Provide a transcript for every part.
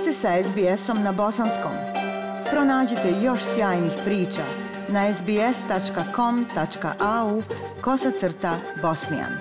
ste sa SBS-om na bosanskom. Pronađite još sjajnih priča na sbs.com.au/bosnijan.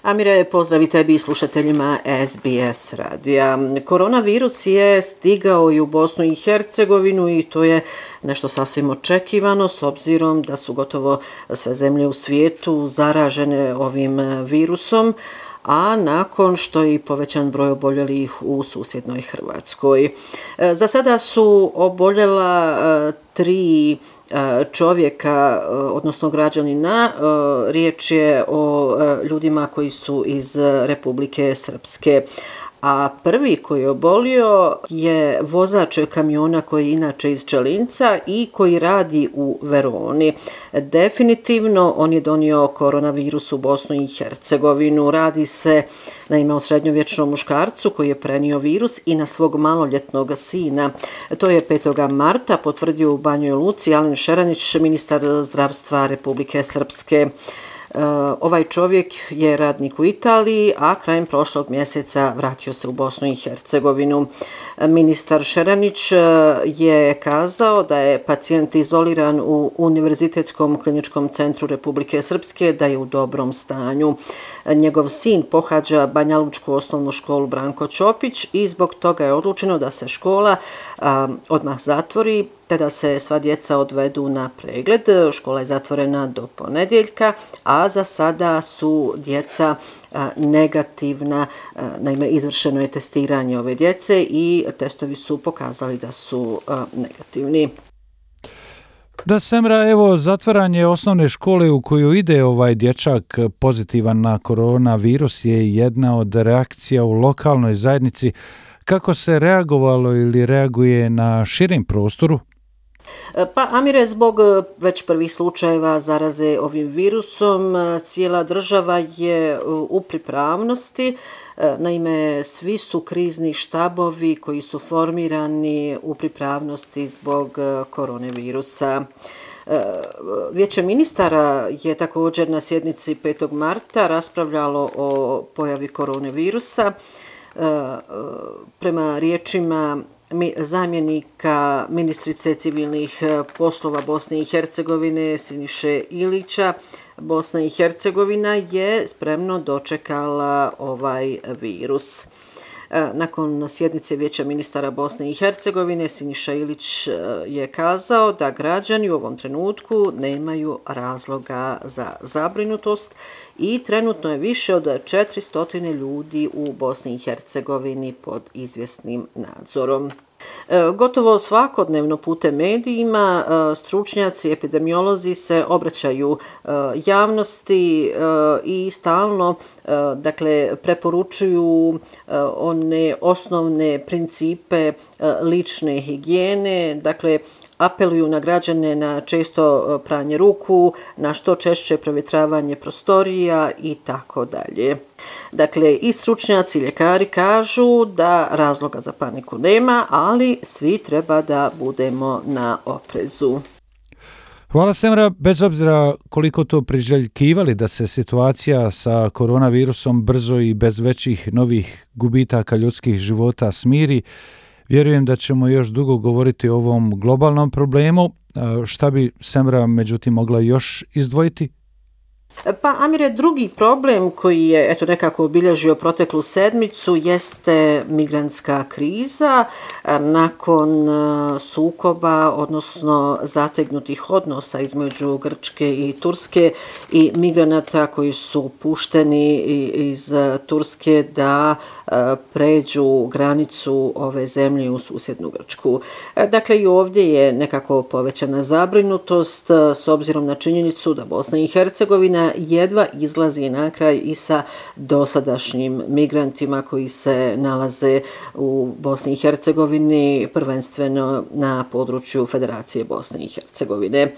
Amire, pozdrav i tebi i slušateljima SBS radija. Koronavirus je stigao i u Bosnu i Hercegovinu i to je nešto sasvim očekivano s obzirom da su gotovo sve zemlje u svijetu zaražene ovim virusom, a nakon što je i povećan broj oboljelih u susjednoj Hrvatskoj. Za sada su oboljela 3 čovjeka, odnosno građanina. Riječ je o ljudima koji su iz Republike Srpske. A prvi koji je obolio je vozač kamiona koji je inače iz Čelinca i koji radi u Veroni. Definitivno on je donio koronavirus u Bosnu i Hercegovinu. Radi se naime o srednjovječnom muškarcu koji je prenio virus i na svog maloljetnog sina. To je 5. marta potvrdio u Banjoj Luci Alen Šeranić, ministar zdravstva Republike Srpske. Ovaj čovjek je radnik u Italiji, a krajem prošlog mjeseca vratio se u Bosnu i Hercegovinu. Ministar Šeranić je kazao da je pacijent izoliran u Univerzitetskom kliničkom centru Republike Srpske, da je u dobrom stanju. Njegov sin pohađa Banjalučku osnovnu školu Branko Ćopić i zbog toga je odlučeno da se škola odmah zatvori, te da se sva djeca odvedu na pregled. Škola je zatvorena do ponedjeljka, a za sada su djeca negativna. Naime, izvršeno je testiranje ove djece i testovi su pokazali da su negativni. Da, Semra, evo, zatvaranje osnovne škole u koju ide ovaj dječak pozitivan na koronavirus je jedna od reakcija u lokalnoj zajednici. Kako se reagovalo ili reaguje na širem prostoru? Pa, Amire, zbog već prvih slučajeva zaraze ovim virusom, cijela država je u pripravnosti. Naime, svi su krizni štabovi koji su formirani u pripravnosti zbog koronavirusa. Vijeće ministara je također na sjednici 5. marta raspravljalo o pojavi koronavirusa. Prema riječima zamjenika ministrice civilnih poslova Bosne i Hercegovine Siniše Ilića, Bosna i Hercegovina je spremno dočekala ovaj virus. Nakon sjednice Vijeća ministara Bosne i Hercegovine Siniša Ilić je kazao da građani u ovom trenutku nemaju razloga za zabrinutost i trenutno je više od 400 ljudi u Bosni i Hercegovini pod izvjesnim nadzorom. Gotovo svakodnevno putem medijima stručnjaci, epidemiolozi se obraćaju javnosti i stalno preporučuju one osnovne principe lične higijene, apeluju na građane na često pranje ruku, na što češće provjetravanje prostorija i tako dalje. I stručnjaci i ljekari kažu da razloga za paniku nema, ali svi treba da budemo na oprezu. Hvala, Semra. Bez obzira koliko to priželjkivali da se situacija sa koronavirusom brzo i bez većih novih gubitaka ljudskih života smiri, vjerujem da ćemo još dugo govoriti o ovom globalnom problemu. Šta bi Semra međutim mogla još izdvojiti? Pa, Amire, drugi problem koji je nekako obilježio proteklu sedmicu jeste migrantska kriza nakon sukoba, odnosno zategnutih odnosa između Grčke i Turske i migranata koji su pušteni iz Turske da pređu granicu ove zemlje u susjednu Grčku. I ovdje je nekako povećana zabrinutost s obzirom na činjenicu da Bosna i Hercegovina jedva izlazi na kraj i sa dosadašnjim migrantima koji se nalaze u Bosni i Hercegovini, prvenstveno na području Federacije Bosne i Hercegovine.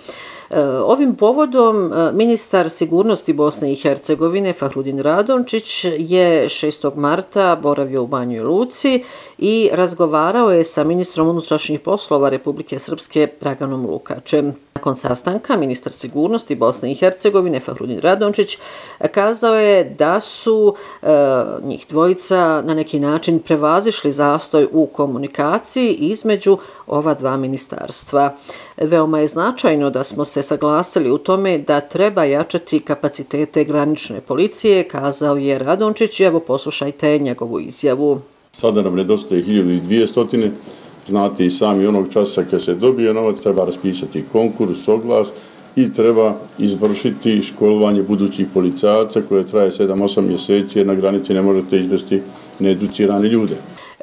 Ovim povodom ministar sigurnosti Bosne i Hercegovine Fahrudin Radončić je 6. marta boravio u Banjoj Luci i razgovarao je sa ministrom unutrašnjih poslova Republike Srpske Draganom Lukačem. Nakon sastanka, ministar sigurnosti Bosne i Hercegovine Fahrudin Radončić kazao je da su njih dvojica na neki način prevazišli zastoj u komunikaciji između ova dva ministarstva. Veoma je značajno da smo se saglasili u tome da treba jačati kapacitete granične policije, kazao je Radončić. Evo poslušajte njegovu izjavu. Sada nam nedostaje 1200. Znate i sami onog časa kad se dobije novac, treba raspisati konkurs, oglas i treba izvršiti školovanje budućih policajaca koje traje 7-8 mjeseci jer na granici ne možete izvesti needucirane ljude.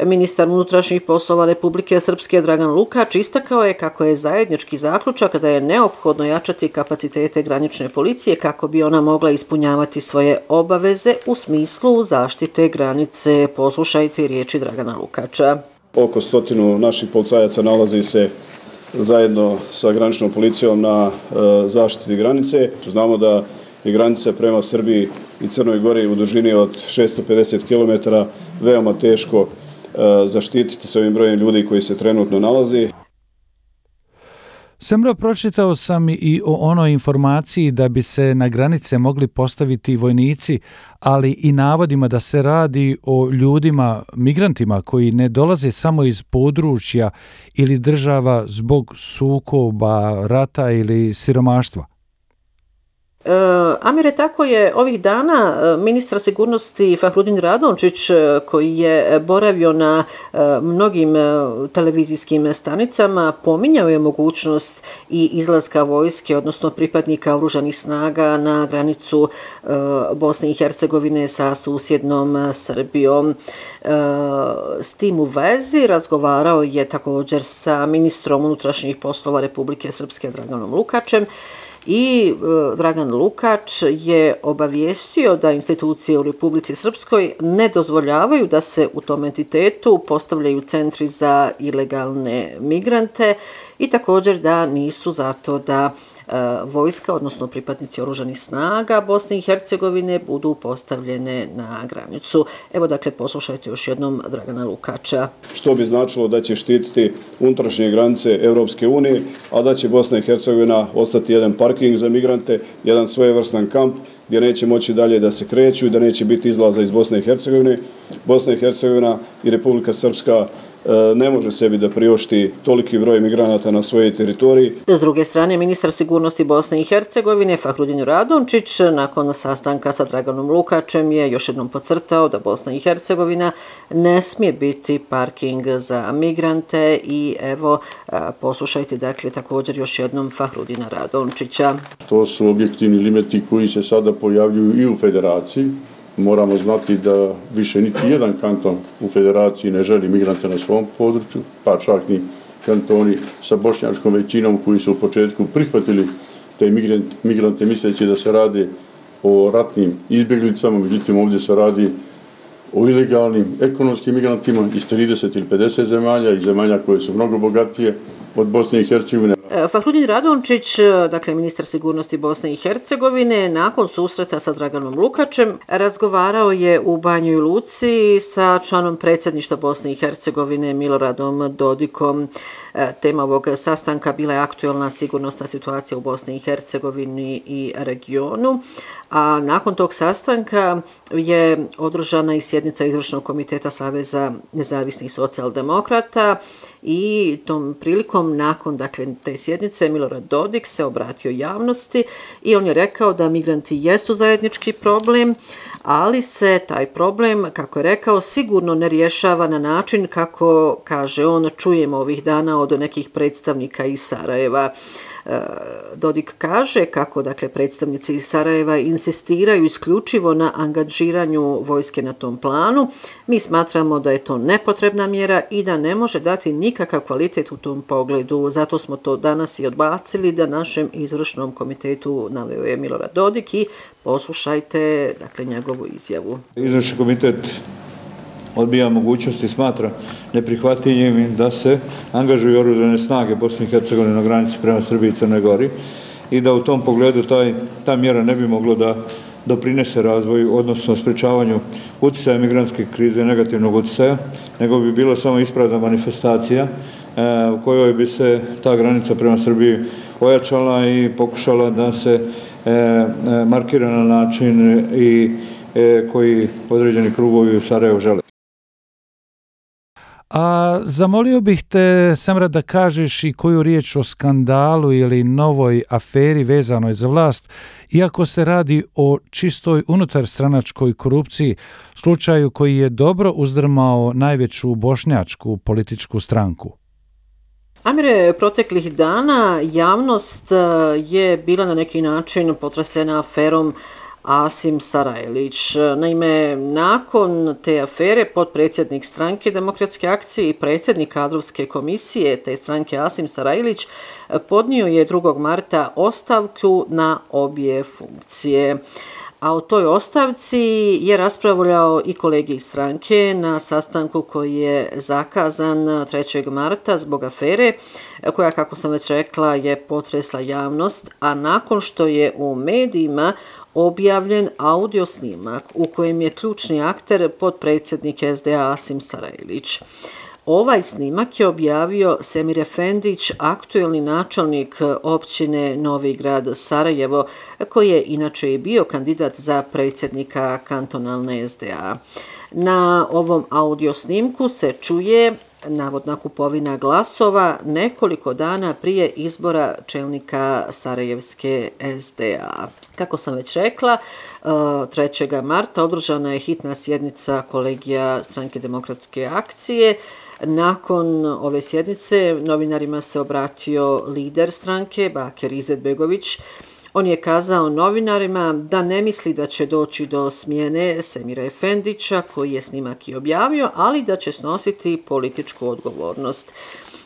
Ministar unutrašnjih poslova Republike Srpske Dragan Lukač istakao je kako je zajednički zaključak da je neophodno jačati kapacitete granične policije kako bi ona mogla ispunjavati svoje obaveze u smislu zaštite granice. Poslušajte riječi Dragana Lukača. Oko 100 naših policajaca nalazi se zajedno sa graničnom policijom na zaštiti granice. Znamo da je granica prema Srbiji i Crnoj Gori u dužini od 650 km veoma teško zaštititi sa ovim brojem ljudi koji se trenutno nalazi. Semra, pročitao sam i o onoj informaciji da bi se na granice mogli postaviti vojnici, ali i navodima da se radi o ljudima, migrantima koji ne dolaze samo iz područja ili država zbog sukoba, rata ili siromaštva. Amire, tako je ovih dana ministar sigurnosti Fahrudin Radončić, koji je boravio na mnogim televizijskim stanicama, pominjao je mogućnost i izlaska vojske, odnosno pripadnika oružanih snaga na granicu Bosne i Hercegovine sa susjednom Srbijom. S tim u vezi razgovarao je također sa ministrom unutrašnjih poslova Republike Srpske Draganom Lukačem. I Dragan Lukač je obavijestio da institucije u Republici Srpskoj ne dozvoljavaju da se u tom entitetu postavljaju centri za ilegalne migrante i također da nisu zato da vojska, odnosno pripadnici oružanih snaga Bosne i Hercegovine budu postavljene na granicu. Evo dakle poslušajte još jednom Dragana Lukača. Što bi značilo da će štititi unutrašnje granice Europske unije, a da će Bosna i Hercegovina ostati jedan parking za migrante, jedan svojevrstan kamp gdje neće moći dalje da se kreću i da neće biti izlaza iz Bosne i Hercegovine. Bosna i Hercegovina i Republika Srpska ne može sebi da priušti toliki broj migranata na svojoj teritoriji. S druge strane, ministar sigurnosti Bosne i Hercegovine Fahrudin Radončić nakon sastanka sa Draganom Lukačem je još jednom podcrtao da Bosna i Hercegovina ne smije biti parking za migrante i evo poslušajte dakle također još jednom Fahrudina Radončića. To su objektivni limiti koji se sada pojavljuju i u federaciji. Moramo znati da više niti jedan kanton u federaciji ne želi migrante na svom području, pa čak ni kantoni sa bošnjačkom većinom koji su u početku prihvatili te migrante misleći da se radi o ratnim izbjeglicama, međutim ovdje se radi o ilegalnim ekonomskim migrantima iz 30 ili 50 zemalja i zemalja koje su mnogo bogatije od Bosne i Hercegovine. Fahrudin Radončić, dakle ministar sigurnosti Bosne i Hercegovine, nakon susreta sa Draganom Lukačem razgovarao je u Banjoj Luci sa članom predsjedništva Bosne i Hercegovine Miloradom Dodikom. Tema ovog sastanka bila je aktuelna sigurnosna situacija u Bosni i Hercegovini i regionu, a nakon tog sastanka je održana i sjednica izvršnog komiteta Saveza nezavisnih socijaldemokrata i tom prilikom nakon dakle te sjednice Milorad Dodik se obratio javnosti i on je rekao da migranti jesu zajednički problem, ali se taj problem, kako je rekao, sigurno ne rješava na način kako, kaže on, čujemo ovih dana od nekih predstavnika iz Sarajeva. Dodik kaže kako dakle predstavnici iz Sarajeva insistiraju isključivo na angažiranju vojske na tom planu. Mi smatramo da je to nepotrebna mjera i da ne može dati nikakav kvalitet u tom pogledu. Zato smo to danas i odbacili da našem izvršnom komitetu, naveo je Milorad Dodik i poslušajte dakle njegovu izjavu. Izvršni komitet odbija mogućnost i smatra neprihvatljivim da se angažuju oružane snage Bosne i Hercegovine na granici prema Srbiji i Crnoj Gori i da u tom pogledu ta mjera ne bi mogla da doprinese razvoju, odnosno sprečavanju utjecaja migrantske krize, negativnog utjecaja, nego bi bilo samo isprazna manifestacija u kojoj bi se ta granica prema Srbiji ojačala i pokušala da se markira na način i koji određeni krugovi u Sarajevu žele. A zamolio bih te, Semra, da kažeš i koju riječ o skandalu ili novoj aferi vezanoj za vlast, iako se radi o čistoj unutarstranačkoj korupciji, slučaju koji je dobro uzdrmao najveću bošnjačku političku stranku. Amire, proteklih dana javnost je bila na neki način potresena aferom Asim Sarajlić. Naime, nakon te afere potpredsjednik stranke Demokratske akcije i predsjednik kadrovske komisije te stranke Asim Sarajlić podnio je 2. marta ostavku na obje funkcije. A o toj ostavci je raspravljao i kolege iz stranke na sastanku koji je zakazan 3. marta zbog afere koja, kako sam već rekla, je potresla javnost, a nakon što je u medijima objavljen audio snimak u kojem je ključni akter potpredsjednik SDA Asim Sarajlić. Ovaj snimak je objavio Semir Efendić, aktuelni načelnik općine Novi Grad Sarajevo, koji je inače i bio kandidat za predsjednika kantonalne SDA. Na ovom audio snimku se čuje navodna kupovina glasova nekoliko dana prije izbora čelnika Sarajevske SDA. Kako sam već rekla, 3. marta održana je hitna sjednica kolegija stranke Demokratske akcije. Nakon ove sjednice novinarima se obratio lider stranke Bakir Izetbegović. On je kazao novinarima da ne misli da će doći do smjene Semira Efendića, koji je snimak i objavio, ali da će snositi političku odgovornost.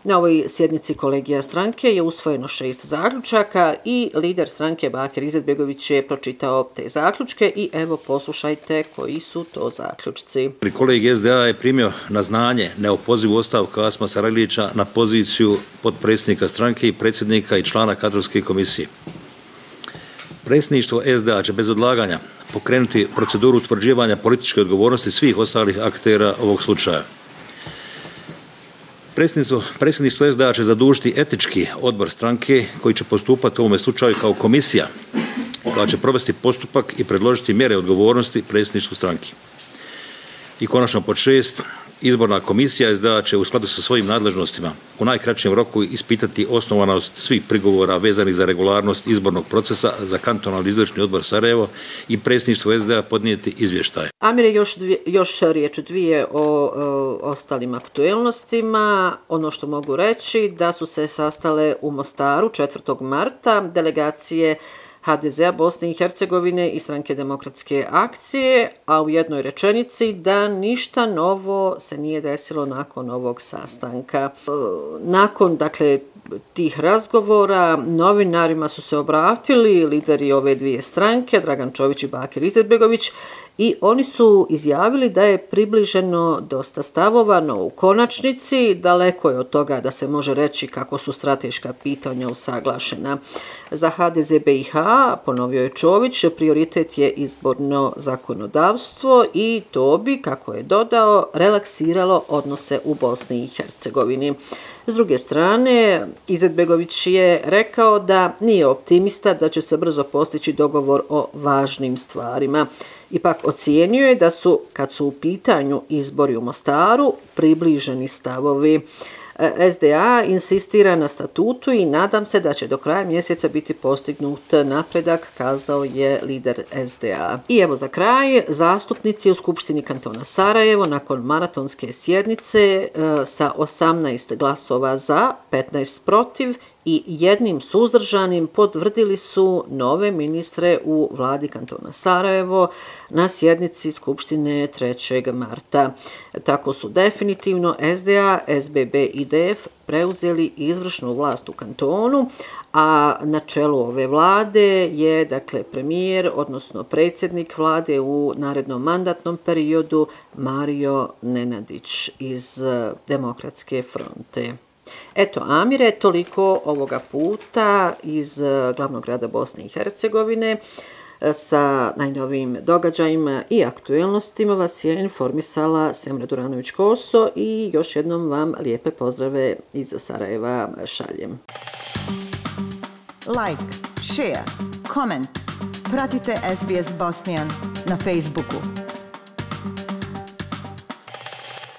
Na ovoj sjednici kolegija stranke je usvojeno 6 zaključaka i lider stranke Bakir Izetbegović je pročitao te zaključke i evo poslušajte koji su to zaključci. Kolegij SDA je primio na znanje neopozivu ostavku Asima Sarajlića na poziciju potpredsjednika stranke i predsjednika i člana kadrovske komisije. Predsjedništvo SDA će bez odlaganja pokrenuti proceduru utvrđivanja političke odgovornosti svih ostalih aktera ovog slučaja. Predsjedništvo SDA će zadužiti etički odbor stranke koji će postupati u ovome slučaju kao komisija koja će provesti postupak i predložiti mjere odgovornosti predsjedništvu stranke. I konačno pod 6. Izborna komisija SDA će u skladu sa svojim nadležnostima u najkraćem roku ispitati osnovanost svih prigovora vezanih za regularnost izbornog procesa za kantonalni izvršni odbor Sarajevo i predsjedništvo SDA podnijeti izvještaj. Amire, još riječ dvije o ostalim aktuelnostima. Ono što mogu reći da su se sastale u Mostaru 4. marta delegacije HDZ-a Bosne i Hercegovine i stranke Demokratske akcije, a u jednoj rečenici da ništa novo se nije desilo nakon ovog sastanka. Nakon, tih razgovora novinarima su se obratili lideri ove dvije stranke, Dragan Čović i Bakir Izetbegović, i oni su izjavili da je približeno dosta stavova, no u konačnici daleko je od toga da se može reći kako su strateška pitanja usaglašena. Za HDZ BiH, ponovio je Čović, prioritet je izborno zakonodavstvo i to bi, kako je dodao, relaksiralo odnose u Bosni i Hercegovini. S druge strane, Izetbegović je rekao da nije optimista da će se brzo postići dogovor o važnim stvarima. Ipak ocijenio je da su, kad su u pitanju izbori u Mostaru, približeni stavovi. SDA insistira na statutu i nadam se da će do kraja mjeseca biti postignut napredak, kazao je lider SDA. I evo za kraj, zastupnici u Skupštini kantona Sarajevo nakon maratonske sjednice sa 18 glasova za, 15 protiv i 1 suzdržanim potvrdili su nove ministre u vladi kantona Sarajevo na sjednici Skupštine 3. marta. Tako su definitivno SDA, SBB i DF preuzeli izvršnu vlast u kantonu, a na čelu ove vlade je premijer, odnosno predsjednik vlade u narednom mandatnom periodu Mario Nenadić iz Demokratske fronte. Eto, Amire, toliko ovoga puta iz glavnog grada Bosne i Hercegovine. Sa najnovijim događajima i aktuelnostima vas je informisala Semra Duranović-Koso i još jednom vam lijepe pozdrave iz Sarajeva šaljem. like, share, comment. Pratite SBS Bosnian na Facebooku.